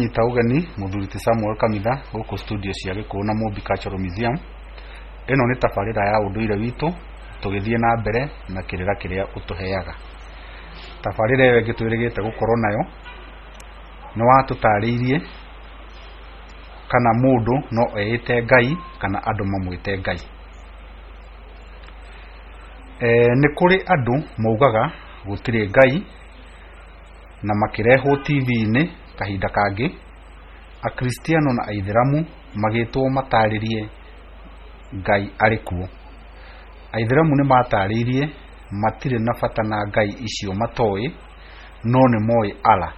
Ndĩranyita ũgeni mũthuri ti Samuel Kamitha gũkũ studio cia Gĩkũyũ na Mũmbi Cultural Museum. Ĩno nĩ tabarĩra ya ũndũire witũ tũgĩthiĩ na mbere na kĩrĩra kĩrĩa ũtũheaga. Tabarĩra ĩyo ĩngĩ twĩrĩgĩte gũkorwo nayo nĩ watũtarĩirie kana mũndũ no eĩte Ngai kana andũ mamwĩte Ngai. Nĩ kũrĩ andũ maugaga gũtirĩ Ngai na makĩrehwo TV-inĩ kahinda kangĩ, Akristiano na Aithĩramu magĩtwo matarĩrie Ngai arĩ kuo. Aithĩramu nĩ matarĩirie matirĩ na bata na Ngai icio matoĩ, no nĩ moĩ Allah,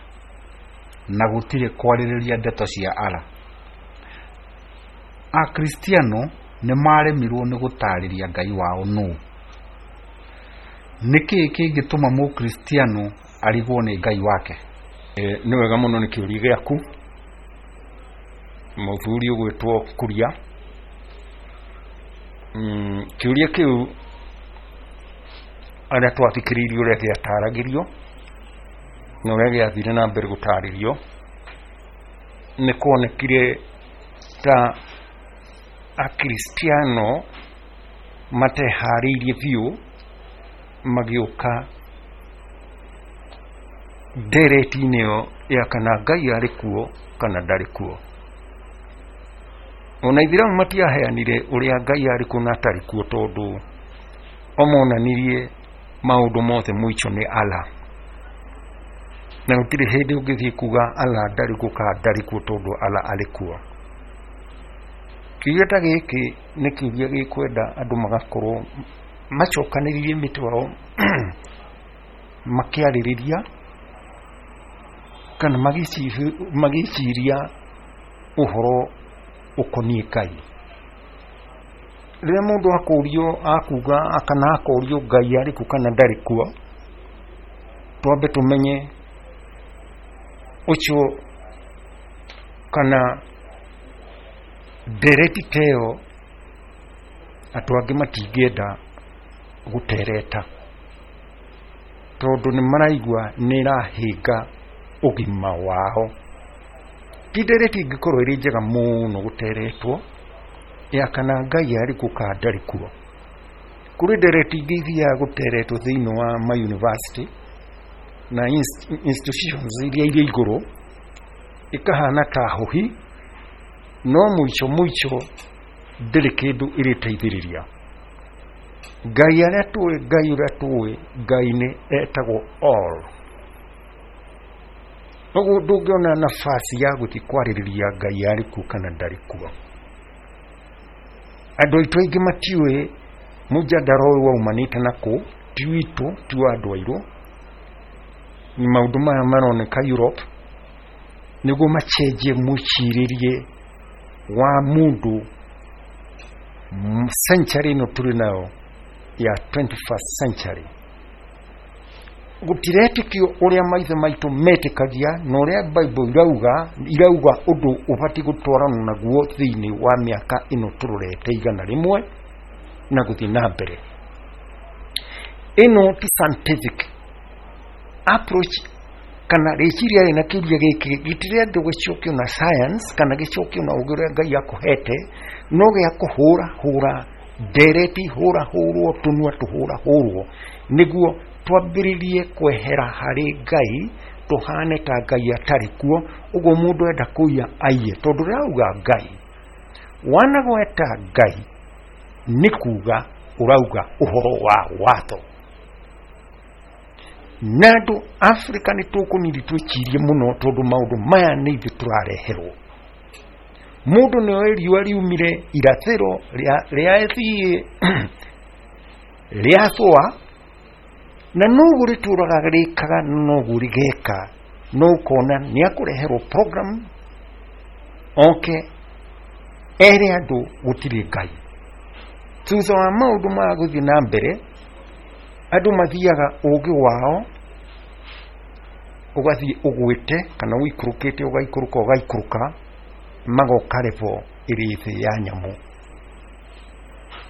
na gũtirĩ kwarĩrĩria ndeto cia Allah. Akristiano nĩ maremirwo nĩ gũtarĩria Ngai wao nũ. Nĩ kĩĩ kĩngĩtũma Mũkristiano arigwo nĩ Ngai wake? Nĩ wega mũno nĩ kĩũria gĩaku, mũthuri ũgwĩtwo Kuria. Kĩũria kĩu arĩa twathikĩrĩirie ũrĩa gĩataragĩrio na ũrĩa gĩathire na mbere gũtarĩrio, nĩ kuonekire ta Akristiano mateharĩirie biũ magĩũka ndereti-inĩ ĩyo ya kana Ngai arĩ kuo kana ndarĩ kuo. Ona Aithĩramu matiaheanire ũrĩa Ngai arĩ kuo na atarĩ kuo, tondũ o monanirie maũndũ mothe mũico nĩ Allah, na gũtirĩ hĩndĩ ũngĩthiĩ kuga Allah ndarĩ kuo kana ndarĩ kuo, tondũ Allah arĩ kuo. Kĩũria ta gĩkĩ nĩ kĩũria gĩkwenda andũ magakorwo macokanĩrĩirie mĩtwe yao makĩarĩrĩria kana magĩciria ũhoro ũkoniĩ Ngai. Rĩrĩa mũndũ akũrio akuga kana akorio Ngai arĩ kuo kana ndarĩ kuo, twambe tũmenye ũcio kana ndereti ta ĩyo andũ angĩ matingĩenda gũtereta, tondũ nĩ maraigua nĩ ĩrahĩnga ũgima wao. Ti ndereti ĩngĩkorwo ĩrĩ njega mũno gũteretwo ya kana Ngai arĩ kuo kana ndarĩ kuo. Kũrĩ ndereti ingĩ ithiaga gũteretwo thĩinĩ wa ma university na institutions iria irĩ igũrũ, ĩkahana ta hũhi, no mũico mũico ndĩrĩ kĩndũ ĩrĩteithĩrĩria. Ngai arĩa tũĩ, Ngai ũrĩa tũĩ, Ngai nĩ etagwo all. Ũguo ndũngĩona nafasi ya gũthiĩ kwarĩrĩria Ngai arĩ kuo kana ndarĩ kuo. Andũ aitũ aingĩ matiũĩ mũjadara ũyũ waumanĩte na kũ, ti witũ, ti wa andũ airũ. Maũndũ maya maroneka Europe nĩguo macenjie mwĩcirĩrie wa mũndũ century ĩno tũrĩ nayo ya 21st century. Gũtiretĩkio ũrĩa maithe maitũ metĩkagia na ũrĩa Bible irauga ũndũ ũbatiĩ gũtwarana naguo thĩinĩ wa mĩaka ĩno tũrorete 100 na gũthiĩ na mbere. Ĩno ti scientific approach kana rĩciria rĩ na kĩũria gĩkĩ gĩtirendwo gĩcokio na science kana gĩcokio na ũgĩ ũrĩa Ngai akũhete, no gĩa kũhũra hũra ndereti, hũra hũrwo tũnua tũhũra hũrwo, nĩguo twambĩrĩrie kwehera harĩ Ngai, tũhane ta Ngai atarĩ kuo. Ũguo mũndũ enda kũiya aiye, tondũ rauga Ngai wanagweta Ngai nĩ kuga ũrauga ũhoro wa watho. Na andũ Afrika nĩ tũkũniri twĩcirie mũno, tondũ maũndũ maya nĩ ithuĩ tũrareherwo. Mũndũ nĩ oĩ riũa riumire irathĩro rĩathiĩ rĩathũa, na noguo rĩtũraga rĩkaga, noguo rĩgeka. No ũkona nĩ akũreherwo program oke ere andũ gũtirĩ Ngai. Thutha wa maũndũ maya gũthiĩ na mbere, andũ mathiaga ũgĩ wao ũgathiĩ ũgwĩte kana ũikũrũkĩte, ũgaikũrũka ũgaikũrũka, magoka level ĩrĩ thĩ ya nyamũ.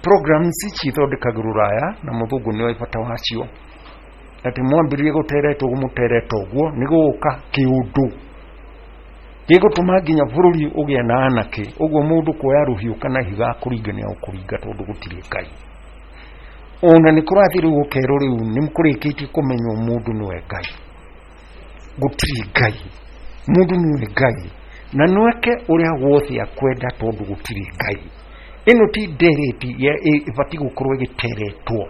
Programs ici ithondekagĩrwo Rũraya na mũthũngũ nĩoĩ bata wacio, atĩ mwambĩrĩrie gũtereta ũguo mũtereta ũguo nĩ gũgũka kĩũndũ. Gĩgũtũma nginya bũrũri ũgĩe na anake. Ũguo mũndũ kuoya rũhiũ kana ihiga kũringa nĩ agũkũringa tondũ gũtirĩ Ngai. Ona nĩ kũrathiĩ rĩu gũkerwo rĩu nĩ kũrĩkĩtie kũmenywo mũndũ nĩwe Ngai. Gũtirĩ Ngai, mũndũ nĩwe Ngai na nweke ũrĩa wothe akwenda tondũ gũtirĩ Ngai. Ĩno ti ndereti ĩbatiĩ gũkorwo ĩgĩteretwo,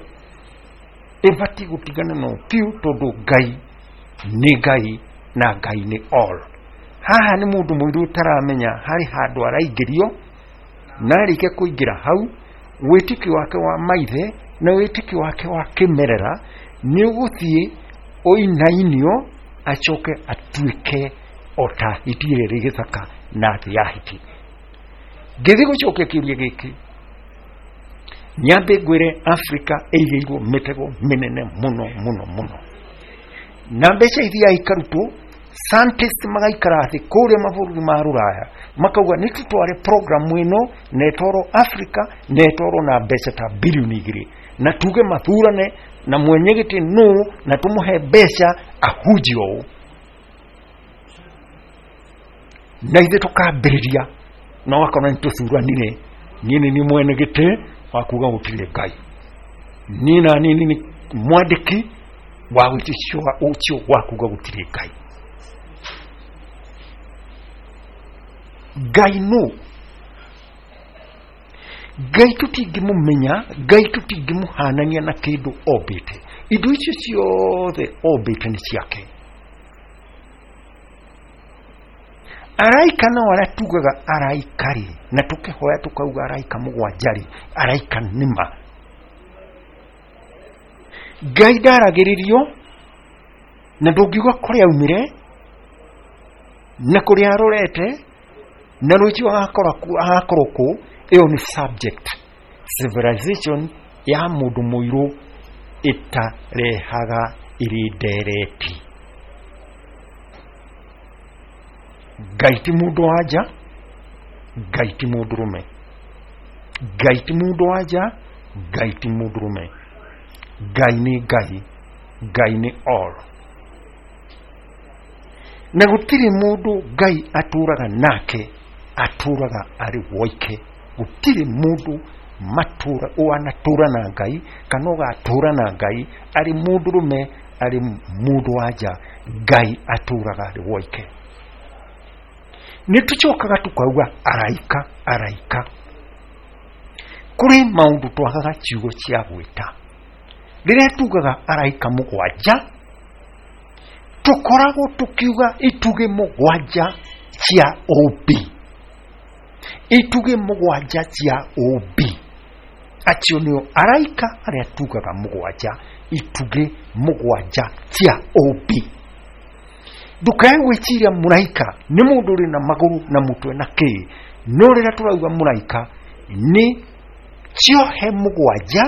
ĩbatiĩ gũtigana no biũ tondũ Ngai nĩ Ngai na Ngai nĩ all. Haha nĩ mũndũ mũirũ ũtaramenya harĩ handũ araingĩrio, na arĩkia kũingĩra hau wĩtĩkio wake wa maithe na wĩtĩkio wake wa kĩmerera nĩ ũgũthiĩ ũinainio acoke atuĩke o ta hiti ĩrĩa ĩrĩ gĩthaka na thĩ ya hiti. Ngĩthiĩ gũcokia kĩũria gĩkĩ, nyambe ngwĩre Afrika ĩigĩirwo mĩtego mĩnene mũno mũno mũno, na mbeca ithiaga ikarutwo, scientists magaikara thĩ kũrĩa mabũrũri ma rũraya makauga nĩ tũtware programu ĩno na ĩtwarwo Afrika na ĩtwarwo na mbeca ta bilioni 2, na tuge mathurane na mwenye gĩtĩ nũ na tũmũhe mbeca ahunjie ũũ, na ithuĩ tũkambĩrĩria na ũgakora nĩ tũthuranire, niĩ nĩ niĩ mwene gĩtĩ wa kuga gũtirĩ Ngai, niĩ na niĩ nĩ mwandĩki wa wĩtĩkio ũcio wa kuga gũtirĩ Ngai. Ngai nũ? Ngai tũtingĩmũmenya, Ngai tũtingĩmũhanania na kĩndũ ombĩte. Indo icio ciothe ombĩte nĩ ciake. Araika no arĩa tugaga araika rĩ, na tũkĩhoya tũkauga araika mũgwanja rĩ, araika nĩma. Ngai ndaragĩrĩrio na ndũngiuga kũrĩa aumire na kũrĩa arorete na rũciũ agakorwo kũ. Ĩyo nĩ subject civilization ya mũndũ mũirũ ĩtarehaga ĩrĩ ndereti. Ngai ti mũndũ wa nja, Ngai ti mũndũrũme, Ngai ti mũndũ wa nja, Ngai ti mũndũrũme. Ngai nĩ Ngai, Ngai nĩ all. Na gũtirĩ mũndũ Ngai atũraga nake, atũraga arĩ woike. Gũtirĩ mũndũ wanatũra na Ngai kana ũgatũra na Ngai arĩ mũndũrũme, arĩ mũndũ wa nja. Ngai atũraga arĩ woike. Nĩ tũcokaga tũkauga araika, araika. Kũrĩ maũndũ twagaga ciugo cia gwĩta. Rĩrĩa tugaga araika mũgwanja, tũkoragwo tũkiuga itugĩ mũgwanja cia ũmbi, itugĩ mũgwanja cia ũmbi. Acio nĩo araika arĩa tugaga mũgwanja, itugĩ mũgwanja cia ũmbi. Ndũkae gwĩciria mũraika nĩ mũndũ ũrĩ na magũrũ na mũtwe na kĩĩ, no rĩrĩa tũrauga mũraika nĩ ciohe mũgwanja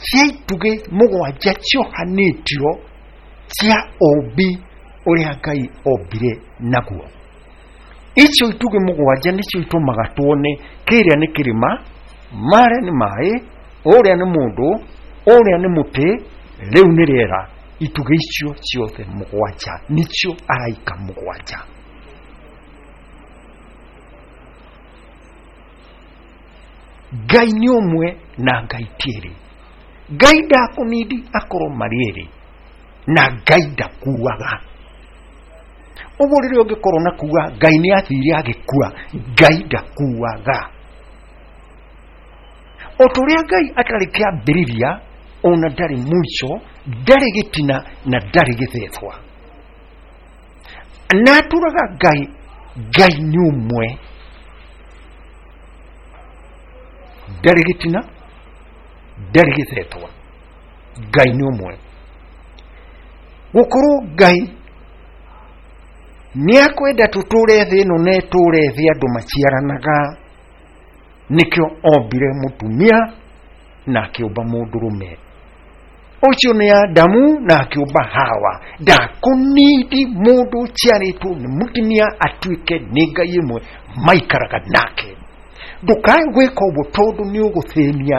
cia itugĩ mũgwanja ciohanĩtio cia ũmbi ũrĩa Ngai ombire naguo. Icio itugĩ mũgwanja nĩcio itũmaga tuone kĩrĩa nĩ kĩrĩma, marĩa nĩ maĩ, ũrĩa nĩ mũndũ, ũrĩa nĩ mũtĩ, rĩu nĩ rĩera. Itugĩ icio ciothe mũgwanja nĩcio araika mũgwanja. Ngai nĩ ũmwe na Ngai ti erĩ. Ngai ndakũnindi akorwo marĩ erĩ, na Ngai ndakuaga. Ũguo rĩrĩa ũngĩkorwo na kuga Ngai nĩ athire agĩkua, Ngai ndakuaga. O ta ũrĩa Ngai atarĩ kĩambĩrĩria, ona ndarĩ mũico, ndarĩ gĩtina na ndarĩ gĩthethwa. Na atũraga Ngai, Ngai nĩ ũmwe, ndarĩ gĩtina, ndarĩ gĩthethwa. Ngai nĩ ũmwe. Gũkorwo Ngai nĩ akwenda tũtũre thĩ ĩno na ĩtũre thĩ andũ maciaranaga, nĩkĩo ombire mũtumia na akĩũmba mũndũrũme. Ũcio nĩ Adamu na akĩũmba Hawa. Ndakũnindi mũndũ ũciarĩtwo nĩ mũtumia atuĩke nĩ Ngai ĩmwe maikaraga nake. Ndũkae gwĩka ũguo tondũ nĩ ũgũthĩnia.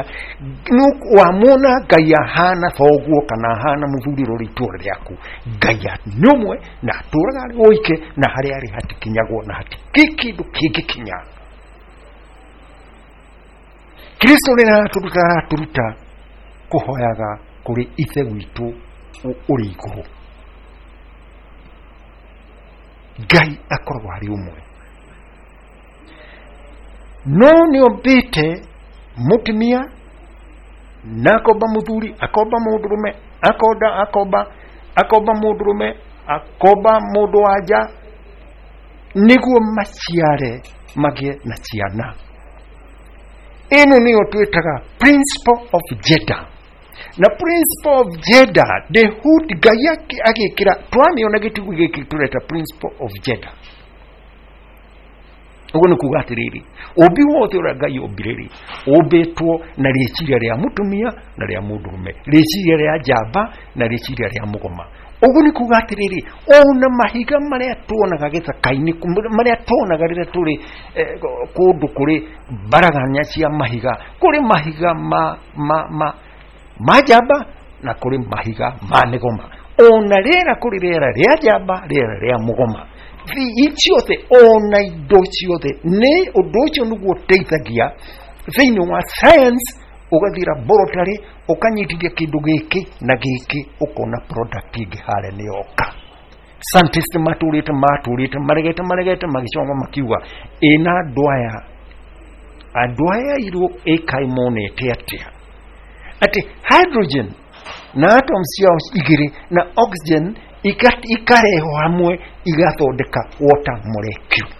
Wamwona Ngai ahana thoguo kana ahana mũthuri ũrĩa ũrĩ itũũra rĩaku. Ngai nĩ ũmwe na atũũraga arĩ woike, na harĩa arĩ hatikinyagwo na hatikĩ kĩndũ kĩngĩkinya. Kristo rĩrĩa aratũruta, aratũruta kũhoyaga kũrĩ Ithe witũ ũrĩ igũrũ. Ngai akoragwo arĩ ũmwe, no nĩ ombĩte mũtumia na akomba mũthuri, akomba mũndũrũme, akonda akomba akomba mũndũrũme, akomba mũndũ wa nja, nĩguo maciare magĩe na ciana. Ĩno nĩyo twĩtaga principle of gender. Na principle of gender ndĩhut Ngai agĩkĩra twamĩona gĩtugĩ gĩkĩ tũreta principle of gender. Ũguo nĩ kuga atĩrĩrĩ, ũmbi wothe ũrĩa Ngai ombire rĩ, ũmbĩtwo na rĩciria rĩa mũtumia na rĩa mũndũrũme, rĩciria rĩa njamba na rĩciria rĩa mũgoma. Ũguo nĩ kuga atĩrĩrĩ, ona mahiga marĩa tuonaga gĩthaka-inĩ, marĩa tuonaga rĩrĩa tũrĩ kũndũ kũrĩ mbaraganya cia mahiga, kũrĩ mahiga ma njamba na kũrĩ mahiga ma mĩgoma. Ona rĩera, kũrĩ rĩera rĩa njamba, rĩera rĩa mũgoma. Ciothe ona indo ciothe nĩ ũndũ ũcio nĩguo ũteithagia thĩinĩ wa science. Ũgathiĩ laboratory, ũkanyitithia kĩndũ gĩkĩ na gĩkĩ, ũkona product ĩngĩ harĩa nĩ yoka. Scientist matũrĩte maregete maregete, magĩcoka makiuga ĩna andũ aya airũ ĩkaĩ monete atĩa atĩ hydrogen na atoms ciao igĩrĩ na oxygen ikarehwo hamwe igathondeka water molecule.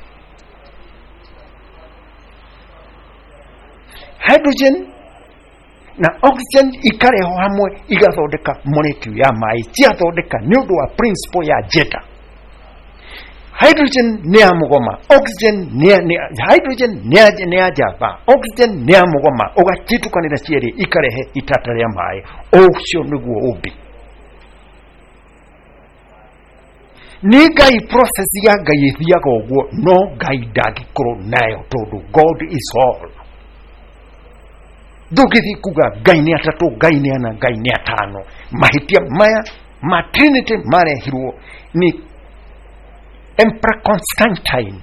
Hydrogen na oxygen ikarehwo hamwe igathondeka molecule ya maĩ. Ciathondeka nĩ ũndũ wa principle ya gender. Hydrogen nĩ ya mũgoma, oxygen nĩ hydrogen nĩ ya njamba, oxygen nĩ ya mũgoma. Ũgacitukanĩra cierĩ ikarehe itata rĩa maĩ. Ũcio nĩguo ũmbi nĩ Ngai. Process ya Ngai ĩthiaga ũguo, no Ngai ndangĩkorwo nayo tondũ God is all. Ndũngĩthiĩ kuga Ngai nĩ atatũ, Ngai nĩ ana, Ngai nĩ atano. Mahĩtia maya ma Trinity marehirwo nĩ Emperor Constantine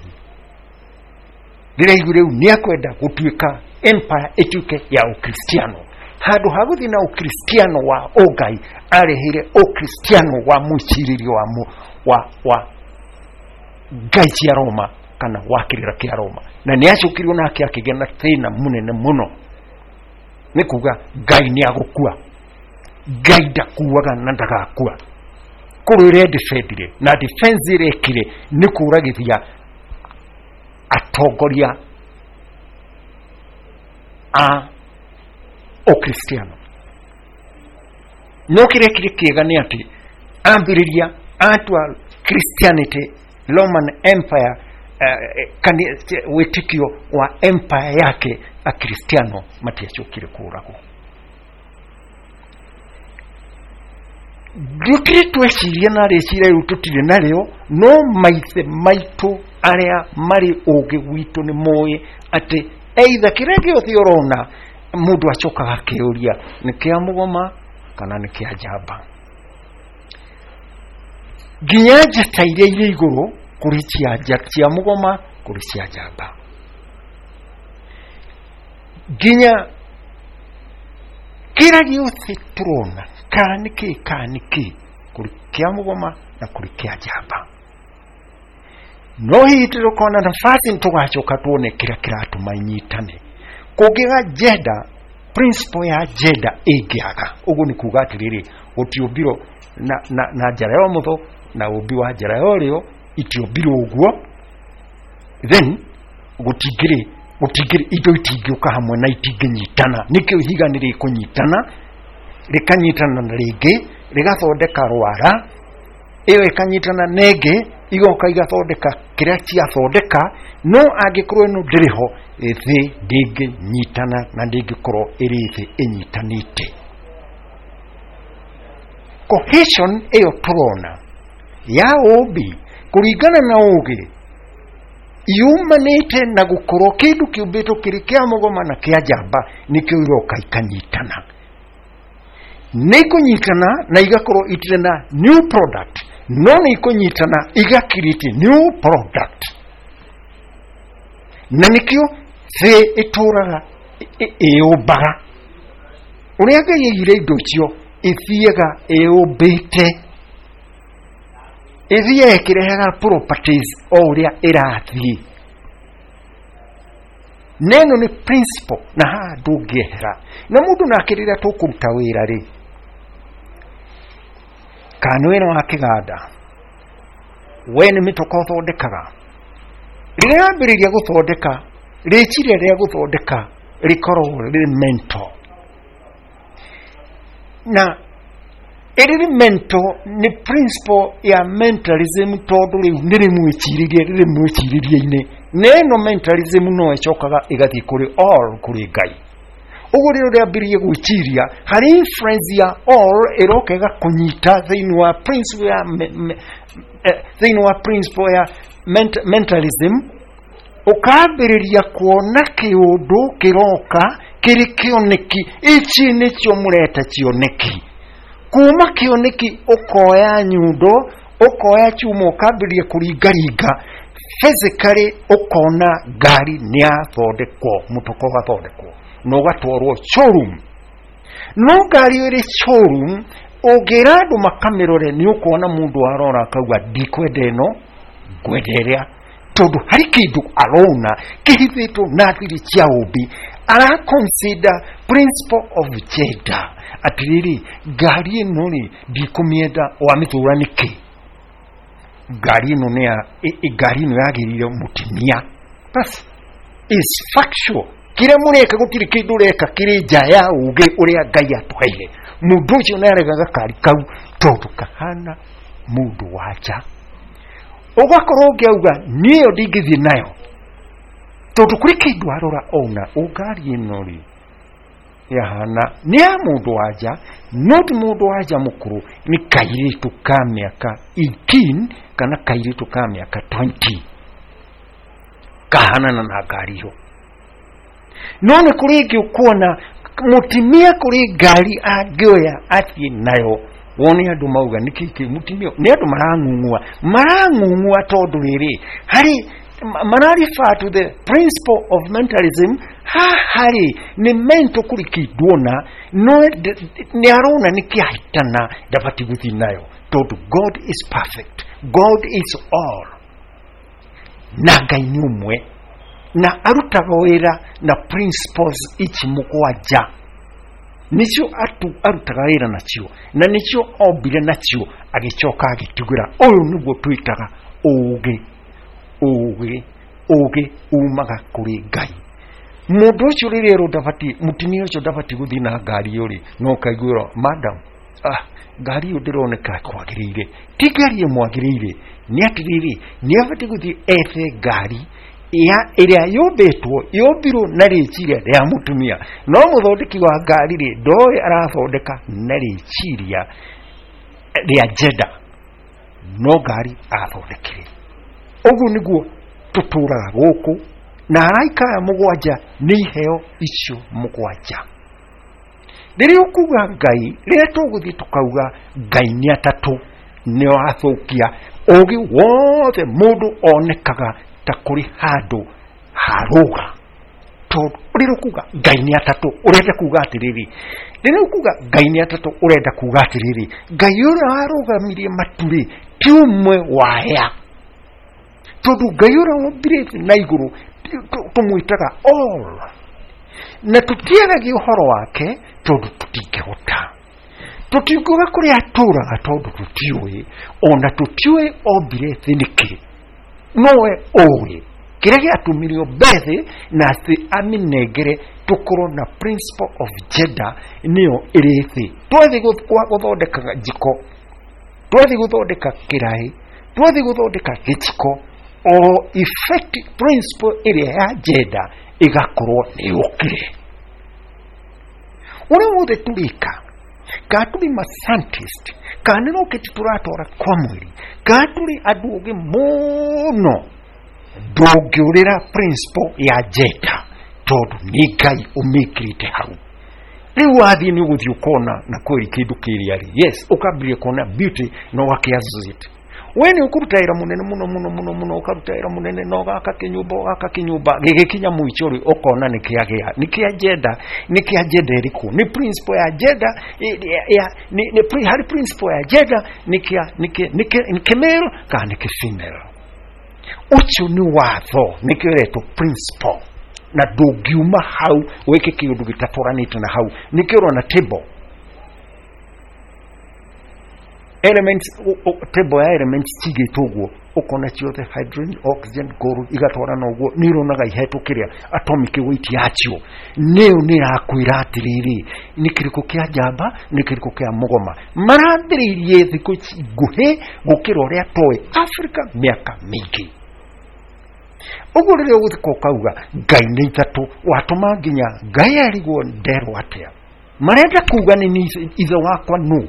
rĩrĩa igu rĩu nĩ akwenda gũtuĩka empire ĩtuĩke ya ũkristiano. Handũ ha gũthiĩ na ũkristiano wa ũngai, areheire ũkristiano wa mwĩcirĩrio wa, mu, wa, wa ngai cia Roma kana wa kĩrĩra kĩa Roma, na nĩ acũkirio nake akĩgĩa na thĩna mũnene mũno. Nĩ kuga Ngai nĩ agũkua. Ngai ndakuaga na ndagakua. Kũrĩ ũrĩa defendire na defense ĩrĩa ĩkire nĩ kũragithia atongoria a ũkristiano. No kĩrĩa kĩrĩ kĩega nĩ atĩ ambĩrĩria atua Christianity Roman Empire, wĩtĩkio wa empire yake, akristiano matiacokire kũragwo. Ndũkĩrĩ tweciria na rĩciria rĩu tũtirĩ narĩo, no maithe maitũ arĩa marĩ ũgĩ witũ nĩ moĩ atĩ either kĩrĩa gĩothe ũrona, mũndũ acokaga akĩũria nĩ kĩa mũgoma kana nĩ kĩa njamba. Nginya njata iria irĩ igũrũ, kũrĩ cia cia mũgoma, kũrĩ cia njamba. Nginya kĩrĩa gĩothe tũrona, kana nĩ kĩ kana nĩ kĩ, kũrĩ kĩa mũgoma na kũrĩ kĩa njamba. No hihi tũkona nafasi tũgacoka tuone kĩrĩa kĩratũma inyitane. Kũngĩga gender, principle ya gender ĩngĩaga, ũguo nĩ kuga atĩrĩrĩ, gũtiũmbirwo na njara ya ũmotho na ũmbi wa njara ya ũrĩo itiũmbirwo ũguo, then gũtingĩrĩ indo itingĩũka hamwe na itingĩnyitana. Nĩkĩo ihiga nĩ rĩkũnyitana, rĩkanyitana na rĩngĩ rĩgathondeka rwara, ĩyo ĩkanyitana na ĩngĩ, igoka igathondeka kĩrĩa ciathondeka. No angĩkorwo ĩno ndĩrĩ ho, thĩ ndĩngĩnyitana na ndĩngĩkorwo ĩrĩ thĩ ĩnyitanĩte. Cohesion ĩyo tũrona ya ũmbi kũringana na ũgĩ. Yumanĩte na gũkorwo kĩndũ kĩũmbĩtwo kĩrĩ kĩa mũgoma na kĩa njamba, nĩkĩo iroka ikanyitana. Nĩ ikũnyitana na igakorwo itirĩ na new product, no nĩ ikũnyitana igakiriti new product. Na nĩkĩo thĩ ĩtũraga ĩyũmbaga. Ũrĩa Ngai aigire indo icio ithiaga ĩyũmbĩte, ĩthiaga ĩkĩrehaga properties o ũrĩa ĩrathiĩ. Neno nĩ principle, na haha ndũngĩehera. Na mũndũ nake rĩrĩa tũkũruta wĩra rĩ, kana nĩ wĩra wa kĩganda, we nĩ mĩtoka ũthondekaga, rĩrĩa wambĩrĩria gũthondeka, rĩciria rĩa gũthondeka rĩkoragwo rĩrĩ mental, na ĩrĩrĩ mental nĩ principle ya mentalism, tondũ rĩu nĩ rĩmwĩcirĩrie, rĩrĩ mwĩcirĩrie-inĩ. Na ĩno mentalism no ĩcokaga ĩgathiĩ kũrĩ all, kũrĩ Ngai. Ũguo rĩrĩa ũrĩambĩrĩria gwĩciria harĩ influence ya all, ĩroka ĩgakũnyita thĩinĩ wa principle ya thĩinĩ wa principle ya mentalism, ũkambĩrĩria kuona kĩũndũ kĩroka kĩrĩ kĩoneki. Ici nĩcio mũreta cioneki. Kuma kĩoneki ũkoya nyundo, ũkoya chuma, ũkambĩrĩria kũringaringa physically, ũkona ngari nĩ yathondekwo, mũtoko ũgathondekwo na ũgatwarwo showroom. No ngari ĩrĩ showroom, ũngĩra andũ makamĩrore, nĩ ũkuona mũndũ arora akauga ndikwenda ĩno, ngwenda ĩrĩa, tondũ harĩ kĩndũ arona kĩhithĩtwo na thiri cia ũmbi. Ara consider principle of gender, atĩrĩrĩ, ngari ĩno rĩ, ndikũmĩenda, wamĩtũra nĩkĩ? Ngari ĩno nĩ ya ngari ĩno yagĩrĩire mũtumia. Bas, is factual. Kĩrĩa mũreka, gũtirĩ kĩndũ ũreka kĩrĩ nja ya ũgĩ ũrĩa Ngai atũheire. Mũndũ ũcio nĩ aregaga gakari kau tondũ kahana mũndũ wa nja. Ũgakorwo ũngĩauga niĩ ĩyo ndingĩthiĩ nayo, tondũ kũrĩ kĩndũ arora ona ngari ĩno rĩ yahana nĩ ya mũndũ wa nja, no ti mũndũ wa nja mũkũrũ, nĩ kairĩtu ka mĩaka 18 kana kairĩtu ka mĩaka 20 kahanana na ngari ĩyo. No nĩ kũrĩ ĩngĩ ũkuona mũtumia kũrĩ ngari angĩoya athiĩ nayo, wone andũ mauga nĩkĩ kĩ mũtumia, nĩ andũ marang'ung'ua, marang'ung'ua tondũ rĩrĩ harĩ mara refer to the principle of mentalism. Haha rĩ, nĩ mental, kũrĩ kĩndũ ona no nĩ arona nĩ kĩahĩtana, ndabatiĩ gũthiĩ nayo, tondũ God is perfect, God is all, na Ngai nĩ ũmwe, na arutaga wĩra na principles ici mũgwanja, nĩcio arutaga wĩra nacio, na nĩcio ombire nacio, agĩcoka agĩtugĩra. Ũyũ nĩguo twĩtaga ũũgĩ. Ũũgĩ umaga kũrĩ Ngai. Mũndũ ũcio rĩrĩa erwo ndabatiĩ, mũtumia ũcio ndabatiĩ gũthiĩ na ngari ĩyo rĩ, no ũkaiguĩrwo, madam, ngari ĩyo ndĩroneka kwagĩrĩire. Ti ngari ĩmwagĩrĩire, nĩ atĩrĩrĩ, nĩ abatiĩ gũthiĩ ethe ngari ya ĩrĩa yũmbĩtwo, yũmbirwo na rĩciria rĩa mũtumia. No mũthondeki wa ngari rĩ, ndoĩ arathondeka na rĩciria rĩa gender, no ngari athondekire. Ũguo nĩguo tũtũraga gũkũ, na araika aya mũgwanja nĩ iheo icio mũgwanja. Rĩrĩa ũkuga Ngai, rĩrĩa tũgũthiĩ tũkauga Ngai nĩ atatũ, nĩ wathũkia ũgĩ wothe. Mũndũ onekaga ta kũrĩ handũ harũga, tondũ rĩrĩa ũkuga Ngai nĩ atatũ, ũrenda kuga atĩrĩrĩ, rĩrĩa ũkuga Ngai nĩ atatũ, ũrenda kuga atĩrĩrĩ, Ngai ũrĩa warũgamirie matu-rĩ, ti ũmwe waya, tondũ Ngai ũrĩa wombire thĩ na igũrũ tũmwĩtaga all, na tũtiaragia ũhoro wake tondũ tũtingĩhota, tũtingiuga kũrĩa atũraga tondũ tũtiũĩ, ona tũtiũĩ ombire thĩ nĩkĩ. Nowe ũĩ kĩrĩa gĩatũmire ombe thĩ na thĩ amĩnengere tũkorwo na principle of gender, nĩyo ĩrĩ thĩ. Twathiĩ gũthondeka njiko, twathiĩ gũthondeka kĩraĩ, twathiĩ gũthondeka gĩciko, o effect principle ĩrĩa ya gender ĩgakorwo nĩ yũkire. Ũrĩa wothe tũrĩka, kana tũrĩ ma scientist, kana nĩ rocket tũratwara kwa mweri, kana tũrĩ andũ ogĩ mũno, Ndũngĩũrĩra principle ya gender tondũ nĩ Ngai ũmĩkĩrĩte hau. Rĩu wathiĩ nĩ ũgũthiĩ ũkona na kweri kĩndũ kĩrĩa rĩ, yes, ũkambĩrĩria kuona beauty na ũgakĩ associate. We nĩ ũkũruta wĩra mũnene mũno mũno mũno mũno, ũkaruta wĩra mũnene na ũgaka kĩnyũmba, ũgaka kĩnyũmba, gĩgĩkinya mũico rĩ, ũkona nĩ kĩagĩa, nĩ kĩa gender, nĩ kĩa gender ĩrĩkũ? Nĩ principle ya gender, harĩ principle ya gender, nĩ kĩa, nĩ kĩa, nĩ kĩa, nĩ kĩ male kana nĩ kĩ female? Ũcio nĩ watho, nĩkĩo ĩretwo principle, na ndũngiuma hau wĩke kĩũndũ gĩtatwaranĩte na hau. Nĩkĩo ũrona table elements, table ya elements cigĩtwo ũguo, ũkona ciothe hydrogen, oxygen, gold igatwarana ũguo, nĩ ũronaga ihetwo kĩrĩa atomic weight yacio, nĩyo nĩ ĩrakwĩra atĩrĩrĩ, nĩ kĩrĩkũ kĩa njamba, nĩ kĩrĩkũ kĩa mũgoma. Marambĩrĩirie thikũ ici nguhĩ gũkĩra ũrĩa toĩ Africa mĩaka mĩingĩ. Ũguo rĩrĩa ũgũthika ũkauga Ngai nĩ ithatũ, watũma nginya Ngai arigwo nderwo atĩa. Marenda kuga nĩ ni ithe wakwa nũ?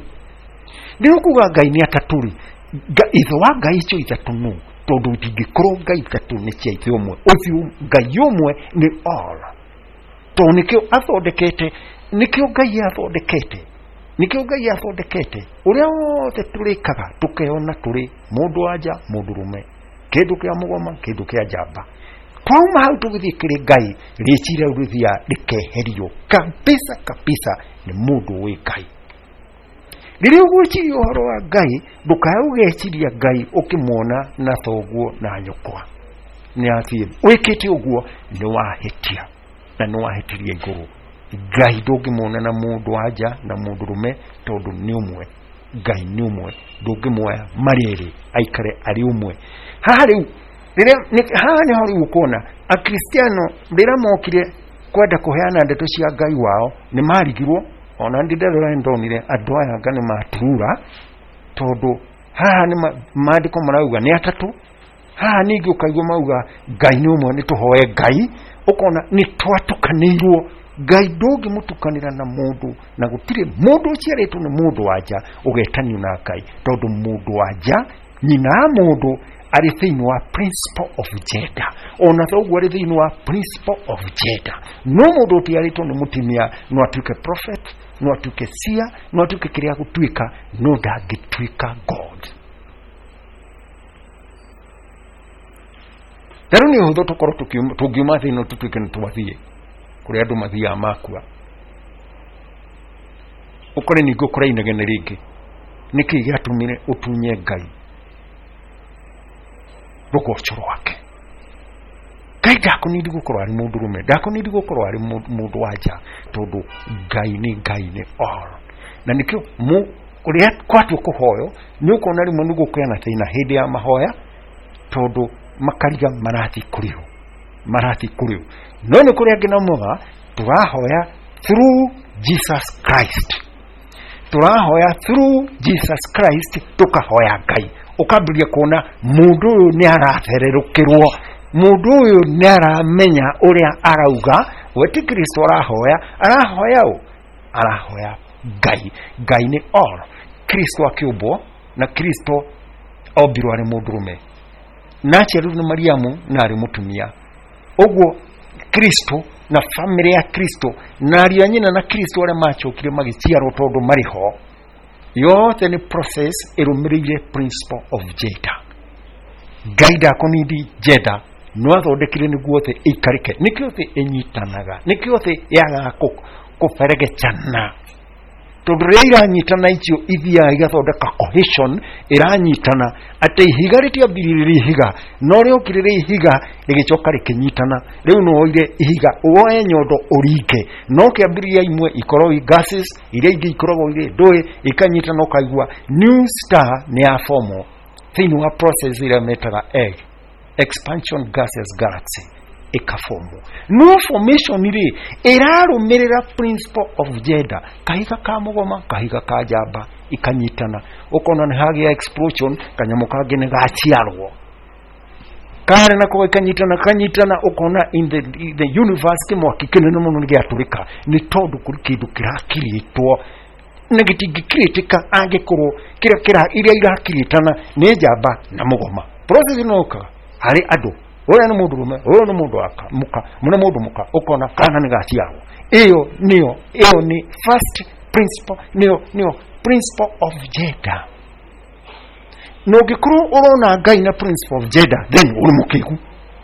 Nĩ ũkuga Ngai nĩ atatũ rĩ, ithe wa Ngai icio ithatũ nũ? Tondũ itingĩkorwo Ngai ithatũ nĩ cia ithe ũmwe. Ũcio Ngai ũmwe nĩ all. Tondũ nĩkĩo athondekete, nĩkĩo Ngai athondekete, nĩkĩo Ngai athondekete. Ũrĩa wothe tũrĩkaga tũkeyona tũrĩ mũndũ wa nja, mũndũ rũme, kĩndũ kĩa mũgoma, kĩndũ kĩa njamba. Twauma hau tũgĩthiĩ kĩrĩ Ngai, rĩciria rĩu rĩthiaga rĩkeherio kabisa kabisa nĩ mũndũ wĩ Ngai. Rĩrĩa ũgwĩciria ũhoro wa Ngai, ndũkae ũgeciria Ngai ũkĩmuona na thoguo na nyũkwa. Nĩ athiĩ wĩkĩte ũguo nĩ wahĩtia, na nĩ wahĩtirie igũrũ. Ngai ndũngĩmuona na mũndũ wa nja na mũndũ rũme, tondũ nĩ ũmwe. Ngai nĩ ũmwe, ndũngĩmuoya marĩ erĩ aikare arĩ ũmwe. Haha rĩu, rĩrĩa, nĩ, haha nĩho rĩu ũkuona Akristiano rĩrĩa mokire kwenda kũheana ndeto cia Ngai wao nĩ marigirwo. Ona ndĩ ndarora nĩ ndonire andũ aya anga nĩ maturura, tondũ haha nĩ maandĩko marauga nĩ atatũ, haha ningĩ ũkaigua mauga Ngai nĩ ũmwe, nĩ tũhoe Ngai. Ũkona nĩ twatukanĩirwo. Ngai ndũngĩmũtukanĩra na mũndũ, na gũtirĩ mũndũ ũciarĩtwo nĩ mũndũ wa nja ũgetanio na Ngai, tondũ mũndũ wa nja nyina wa mũndũ arĩ thĩinĩ wa principle of gender, ona thoguo arĩ thĩinĩ wa principle of gender. No mũndũ ũtiarĩtwo nĩ mũtumia no atuĩke prophet, no atuĩke seer, no atuĩke kĩrĩa gũtuĩka, no ndangĩtuĩka God. Na rĩu nĩ ũhũthũ tũkorwo tũngiuma thĩ ĩno tũtuĩke nĩ twathiĩ kũrĩa andũ mathiaga makua, ũkore ningĩ ũkore inegene rĩngĩ. Nĩkĩ gĩatũmire ũtunye Ngai rũgoco rwake? Ngai ndakũnindi gũkorwo arĩ mũndũrũme, ndakũnindi gũkorwo arĩ mũndũ wa nja, tondũ Ngai nĩ Ngai nĩ all. Na nĩkĩo ũrĩa kwatua kũhoywo nĩ ũkuona rĩmwe nĩ gũkũgĩa na thĩna hĩndĩ ya mahoya, tondũ makariga marathiĩ kũrĩ ũ, marathiĩ kũrĩ ũ. No nĩ kũrĩ angĩ nao maugaga tũrahoya through Jesus Christ, tũrahoya through Jesus Christ, tũkahoya Ngai. Ũkambĩrĩria kuona mũndũ ũyũ nĩ arathererũkĩrwo, mũndũ ũyũ nĩ aramenya ũrĩa arauga. We ti Kristo arahoya, arahoya ũ? Arahoya Ngai. Ngai nĩ all. Kristo akĩũmbwo, na Kristo ombirwo arĩ mũndũrũme, na aciarirwo nĩ Mariamu na arĩ mũtumia. Ũguo Kristo na famĩlĩ ya Kristo na ariũ a nyina na Kristo arĩa macokire magĩciarwo tondũ marĩ ho, yothe nĩ process ĩrũmĩrĩire principle of gender. Ngai ndakũnindi gender, no athondekire nĩguo thĩ ĩikarĩke, nĩkĩo thĩ ĩnyitanaga, nĩkĩo thĩ yagaga kũberegecana, tondũ rĩrĩa iranyitana icio ithiaga igathondeka cohesion, ĩranyitana atĩ ihiga rĩtiambiririe rĩ ihiga, no rĩokire rĩ ihiga rĩgĩcoka rĩkĩnyitana. Rĩu no woire ihiga woe nyondo ũringe, no kĩambĩrĩria imwe ikoragwo i gases, iria ingĩ ikoragwo irĩ ndũĩ, ikanyitana, ũkaigua new star nĩ ya fomo thĩinĩ wa process ĩrĩa metaga egg expansion gaseous galaxy ĩkabomo. No formation rĩ ĩrarũmĩrĩra principle of gender, kahiga ka mũgoma, kahiga ka njamba ikanyitana, ũkona nĩ hagĩa explosion, kanyamũ kangĩ nĩ gaciarwo karĩ nako ikanyitana kanyitana, ũkona in the universe kĩmwaki kĩnene mũno nĩ gĩatũrĩka, nĩ tondũ kũrĩ kĩndũ kĩrakirĩtwo na gĩtingĩkirĩtĩka angĩkorwo kĩrĩa kĩra iria irakirĩtana nĩ njamba na mũgoma. Process ĩno yũkaga harĩ andũ Ũrĩa nĩ mũndũrũme, ũyũ nĩ mũndũ waka mũka, nĩ mũndũ mũka, ũkona kana nĩ gaciarwo. Ĩyo nĩyo, ĩyo nĩ first principle, nĩyo principle of gender. Na ũngĩkorwo ũrona Ngai na principle of gender, then ũrĩ mũkĩgu,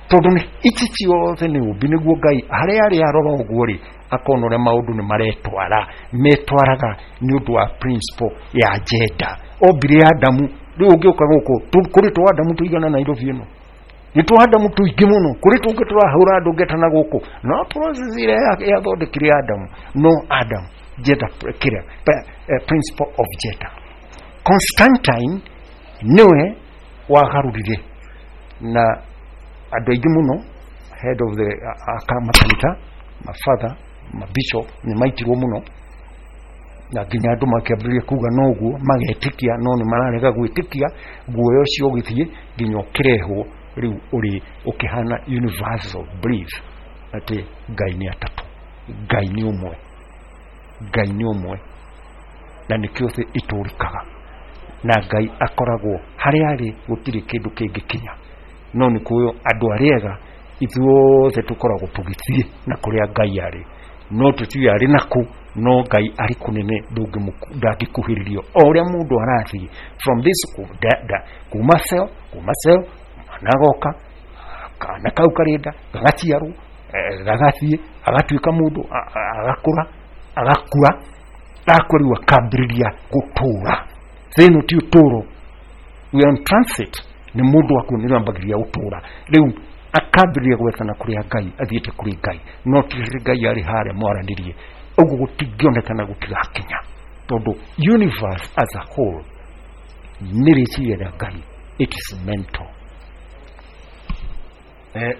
tondũ nĩ ici ciothe nĩ ũmbi. Nĩguo Ngai harĩa arĩ arora ũguo rĩ, akona ũrĩa maũndũ nĩ maretwara, metwaraga nĩ ũndũ wa principle ya gender. Ombire Adamu. Rĩu ũngĩũka gũkũ kũrĩ tũ Adamu tũigana Nairobi ĩno, nĩ tũ Adamu tũingĩ mũno, kũrĩ tũngĩ tũrahũra andũ ngetana gũkũ, no process ĩrĩa yathondekire Adamu, no Adam gender, kĩrĩa principle of gender. Constantine nĩwe wagarũrire na andũ aingĩ mũno, head of the aka makanitha, mafather, mabishop nĩ maitirwo mũno, na nginya andũ makĩambĩrĩria kuga noguo magetĩkia, no nĩ mararega gwĩtĩkia. Guoya ũcio ũgĩthiĩ nginya ũkĩrehwo rĩu ũrĩ ũkĩhana universal belief atĩ Ngai nĩ atatũ. Ngai nĩ ũmwe, Ngai nĩ ũmwe, na nĩkĩo thĩ itũrĩkaga, na Ngai akoragwo harĩa arĩ, gũtirĩ kĩndũ kĩngĩkinya. No nĩ kũyo andũ arĩa ega ithuothe tũkoragwo tũgĩthiĩ na kũrĩa Ngai arĩ, no tũtiũĩ arĩ nakũ, no Ngai arĩ kũnene, ndangĩkuhĩrĩrio. O ũrĩa mũndũ arathiĩ from this kuma cell, kuma cell mwana agoka, kana kau karĩ nda gagaciarwo, gagathiĩ agatuĩka mũndũ, agakũra, agakua. Akua rĩu akambĩrĩria gũtũra. Thĩ ĩno ti ũtũro, we are on transit. Nĩ mũndũ akua nĩ ambagĩrĩria gũtũra, rĩu akambĩrĩria gwethana kũrĩa Ngai athiĩte, kũrĩ Ngai, no ti Ngai arĩ harĩa mwaranĩrie ũguo, gũtingĩonekana, gũtigakinya, tondũ universe as a whole nĩ rĩciria rĩa Ngai, it is mental.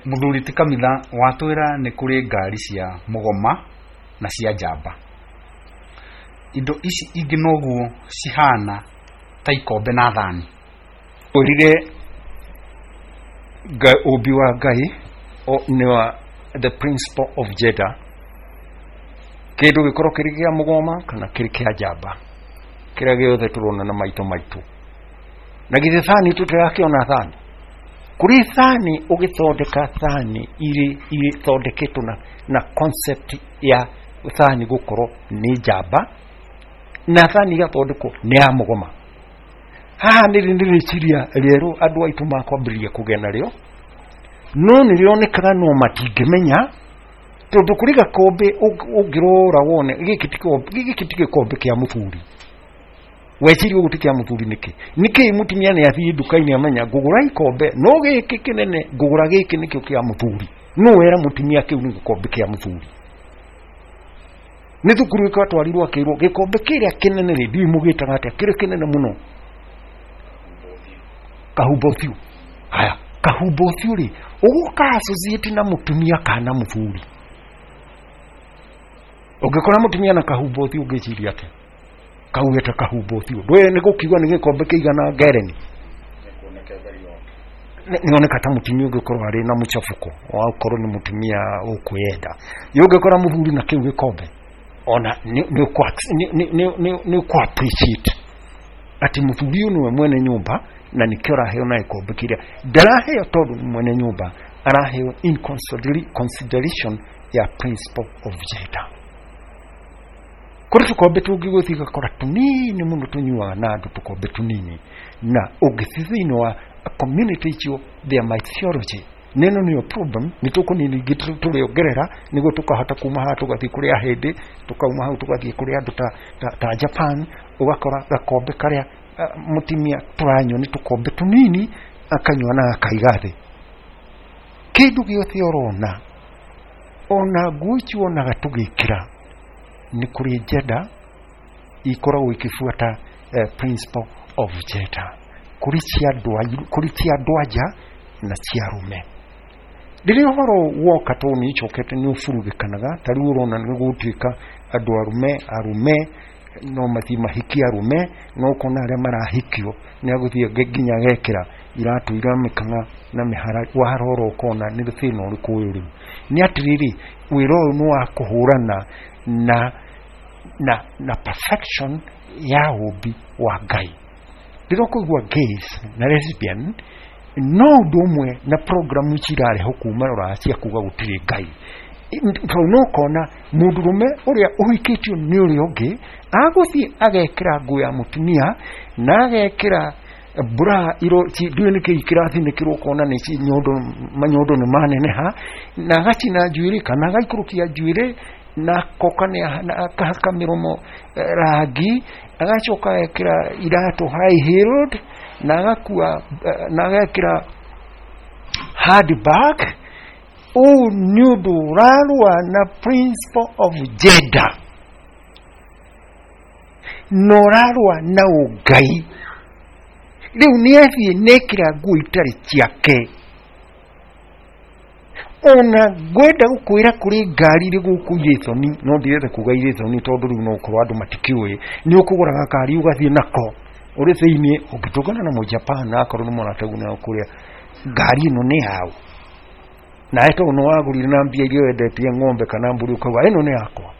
Mũthuri ti kamitha, watwĩra nĩ kũrĩ ngari cia mũgoma na cia njamba. Indo ici ingĩ noguo cihana ta ikombe na thani? Ũrire ũmbi wa Ngai nĩ wa the principle of gender, kĩndũ gĩkorwo kĩrĩ kĩa mũgoma kana kĩrĩ kĩa njamba, kĩrĩa gĩothe tũrona na maitũ maitũ. Na githĩ thani tũtirakĩona thani? Kũrĩ thani ũgĩthondeka, thani irĩ ithondeketwo na concept ya thani gũkorwo nĩ njamba, na thani igathondekwo nĩ ya mũgoma. Haha nĩ rĩciria rĩerũ andũ aitũ makwambĩrĩria kũgĩa narĩo, no nĩ rĩonekaga no matingĩmenya, tondũ kũrĩ gakombe ũngĩrora wone gĩkĩ ti gĩkĩ ti gĩkombe kĩa mũthuri. Weciria ũguo ti kĩa mũthuri nĩkĩ? Nĩkĩ mũtumia nĩ athiĩ nduka-inĩ amenya ngũgũra ikombe, no gĩkĩ kĩnene ngũgũra, gĩkĩ nĩkĩo kĩa mũthuri? No wera mũtumia kĩu nĩ gĩkombe kĩa mũthuri. Nĩ thukuru ĩgatwarirwo akĩrwo gĩkombe kĩrĩa kĩnene rĩ, ndiũĩ mũgĩtaga atĩa, kĩrĩa kĩnene mũno, kahumba ũthiũ. Haya, kahumba ũthiũ rĩ, ũgũka associate na mũtumia kana mũthuri? Ũngĩkora mũtumia na kahumba ũthiũ, ũngĩciria atĩa? Kaugĩte kahumba ũthiũ, ndũĩ nĩ gũkiuga nĩ gĩkombe kĩigana ngereni, nĩoneka ta mũtumia ũngĩkorwo arĩ na mũchafuko wakorwo nĩ mũtumia ũkwĩyenda. Ũngĩkora mũthuri na kĩu gĩkombe, ona nĩ ũkũ appreciate atĩ mũthuri ũyũ nĩwe mwene nyũmba, na nĩkĩo araheo na gĩkombe kĩrĩa ndaraheo, tondũ nĩ mwene nyũmba, araheo in consideration ya principle of gender. Kũrĩ tũkombe tũngĩ gũthiĩ gakora tũnini mũno tũnyuaga na andũ, tũkombe tũnini, na ũngĩthiĩ thĩinĩ wa community icio, their mythology nĩno nĩyo problem. Nĩ tũkũnini ingĩ tũrĩongerera nĩguo tũkahota kuma haha tũgathiĩ kũrĩ ahĩndĩ, tũkauma hau tũgathiĩ kũrĩ andũ ta Japan. Ũgakora gakombe karĩa mũtumia tũranyua nĩ tũkombe tũnini, akanyua na akaiga thĩ. Kĩndũ gĩothe ũrona, ona nguo ici wonaga tũgĩkĩra, nĩ kũrĩ gender ikoragwo ikĩbuata principle of gender. Kũrĩ cia andũ, kũrĩ cia andũ anja na cia arũme. Rĩrĩa ũhoro woka, tondũ nĩ icokete nĩ ũburugĩkanaga, ta rĩu ũrona nĩ gũtuĩka andũ arũme, arũme no mathiĩ mahikie arũme, no ũkona arĩa marahikio nĩ agũthiĩ nginya agekĩra iratũ ira mĩkang'a na mĩhara. Warora ũkona nĩ thĩna ũrĩkũ ũyũ. Rĩu nĩ atĩrĩrĩ, wĩra ũyũ nĩ wa kũhũrana na perfection ya ũmbi wa Ngai. Rĩrĩa ũkũigua gays na lesbian, No ũndũ ũmwe na programu ici irarehwo kuma rũraya cia kuga gũtirĩ Ngai, tondũ no ũkona mũndũrũme ũrĩa ũhikĩtio nĩ ũrĩa ũngĩ agũthiĩ agekĩra nguo ya mũtumia na agekĩra bra iro ndiũĩ nĩkĩ kĩrathinĩkĩrwo, ũkona nĩ nyondo, manyondo nĩ maneneha, na agacina njuĩrĩ kana agaikũrũkia njuĩrĩ na akoka na akahaka mĩromo rangi, agacoka agekĩra iratũ high heeled na agakua na agekĩra handbag. Ũũ nĩ ũndũ ũrarũa na principle of gender na ũrarũa na ũngai. Rĩu nĩ athiĩ nekĩra nguo itarĩ ciake. Ona ngwenda gũkwĩra kũrĩ ngari irĩ gũkũ irĩ thoni, no ndirenda kuga irĩ thoni tondũ rĩu no ũkorwo andũ matikĩũĩ. Nĩ ũkũgũra gakari ũgathiĩ nako ũrĩ thĩiniĩ, ũngĩtũngana na mũjapan akorwo nĩ mũratagu na kũrĩa ngari ĩno nĩ yaũ, nawe tondũ nĩ wagũrire na mbia iria wendetie ng'ombe kana mbũri, ũkauga ĩno nĩ yakwa,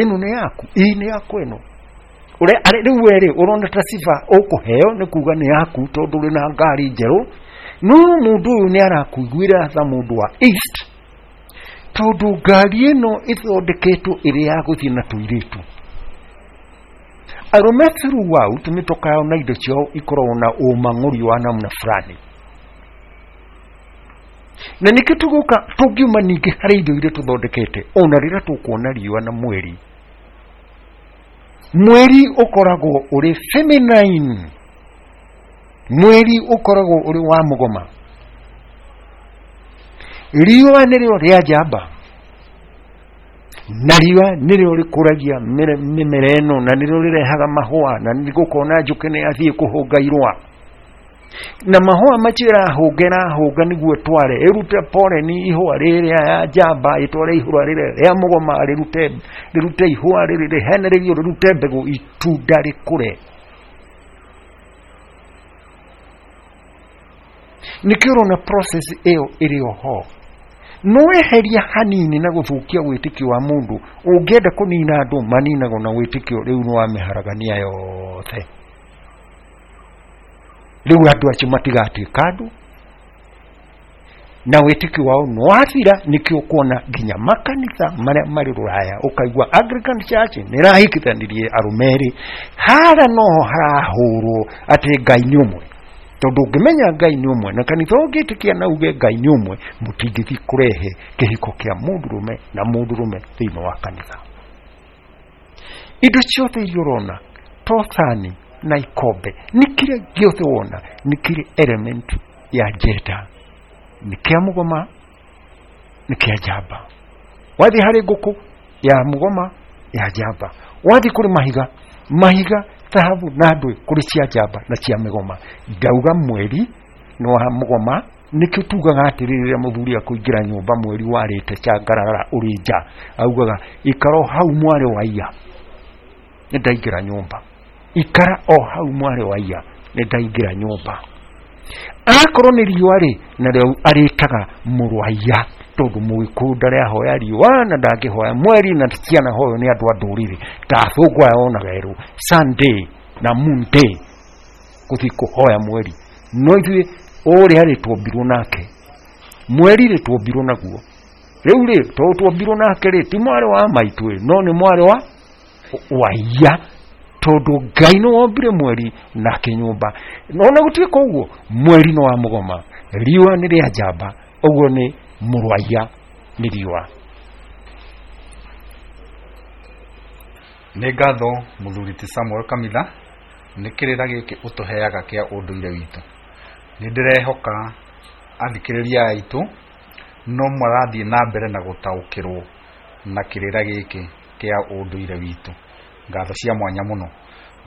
ĩno nĩ yaku, ĩĩ nĩ yakwa ĩno. Ũrĩa rĩu we rĩ ũrona ta sifa ũkũheo nĩ kuga nĩ yaku tondũ ũrĩ na ngari njerũ, no mũndũ ũyũ nĩ arakũiguĩra tha mũndũ wa East, tondũ ngari ĩno ĩthondeketwo ĩrĩ ya gũthiĩ na tũirĩtu. Arũme throughout mĩtoka yao na indo ciao ikoragwo na ũmang'ũri wa namna fulani, na nĩkĩo tũgũka tũngiuma ningĩ harĩ indo iria tũthondekete. Ona rĩrĩa tũkuona riũa na mweri, mweri ũkoragwo ũrĩ feminine, mweri ũkoragwo ũrĩ wa mũgoma, riũa nĩrĩo rĩa njamba, na riũa nĩrĩo rĩkũragia mĩmera ĩno, na nĩrĩo rĩrehaga mahũa, na nĩgũkona njũkĩ nĩ yathiĩ kũhũnga irũa, na mahũa macio ĩrahũnga ĩrahũnga nĩguo ĩtware ĩrute pollen ihũa rĩrĩa ya njamba, ĩtware ihũa rĩrĩa rĩa mũgoma, rĩrute ihũa rĩrĩ rĩhenererio, rĩrute mbegũ, itunda rĩkũre. Nĩkĩo ũrona process ĩyo ĩrĩ oho. No eheria hanini na gũthũkia wĩtĩkio wa mũndũ. Ũngĩenda kũnina andũ maninagwo na wĩtĩkio, rĩu nĩ wamĩharagania yothe. Rĩu andũ acio matigatuĩka andũ na wĩtĩkio wao nĩ wathira. Nĩkĩo ũkuona nginya makanitha marĩa marĩ rũraya, ũkaigua Anglican Church nĩ ĩrahikithanirie arũme erĩ. Hara noho harahũrwo atĩ Ngai nĩ ũmwe, tondũ ũngĩmenya Ngai nĩ ũmwe na kanitha ũngĩtĩkia na uge Ngai nĩ ũmwe, mũtingĩthiĩ kũrehe kĩhiko kĩa mũndũrũme na mũndũrũme thĩinĩ wa kanitha. Indo ciothe iria ũrona to thani na ikombe, nĩ kĩrĩa gĩothe wona nĩ kĩrĩ element ya gender, nĩ kĩa mũgoma, nĩ kĩa njamba. Wathiĩ harĩ ngũkũ ya mũgoma, ya njamba, wathiĩ kũrĩ mahiga, mahiga thahabu na ndũĩ, kũrĩ cia njamba na cia mĩgoma. Ndauga mweri nĩ wa mũgoma, nĩkĩo tugaga atĩrĩrĩ, rĩrĩa mũthuri akũingĩra nyũmba mweri warĩte cangarara ũrĩ nja, augaga ikara o hau mwarĩ wa iya, nĩ ndaingĩra nyũmba, ikara o hau mwarĩ wa iya, nĩ ndaingĩra nyũmba. Akorwo nĩ riũa rĩ, narĩo arĩtaga mũrũ wa iya, tondũ mũgĩkũyũ ndarĩ ahoya riũa na ndangĩhoya mweri, na ciana hoyo nĩ andũ a ndũrĩrĩ ta athũngũ aya onaga erũ Sunday na Monday gũthiĩ kũhoya mweri. No ithuĩ ũrĩa rĩ tuombirwo nake mweri rĩ tuombirwo naguo. Rĩu rĩ tondũ tuombirwo nake rĩ, ti mwarĩ wa maitũ ĩ, no nĩ mwarĩ wa waiya, tondũ Ngai nĩ wombire mweri nake nyũmba. Ona gũtuĩka ũguo, mweri nĩ wa mũgoma, riũa nĩ rĩa njamba, ũguo nĩ mũrwaiya nĩ riũa. Nĩ ngatho mũthuri ti Samuel Kamitha nĩ kĩrĩra gĩkĩ ũtũheaga kĩa ũndũire witũ. Nĩ ndĩrehoka athikĩrĩria aitũ no marathiĩ na mbere na gũtaũkĩrwo na kĩrĩra gĩkĩ kĩa ũndũire witũ. Ngatho cia mwanya mũno.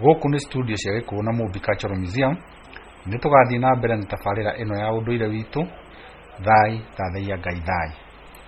Gũkũ nĩ studio cia Gĩkũyũ na Mũmbi Cultural Museum. Nĩ tũgathiĩ na mbere na tabarĩra ĩno ya ũndũire witũ. Thai thathaiya Ngai thai.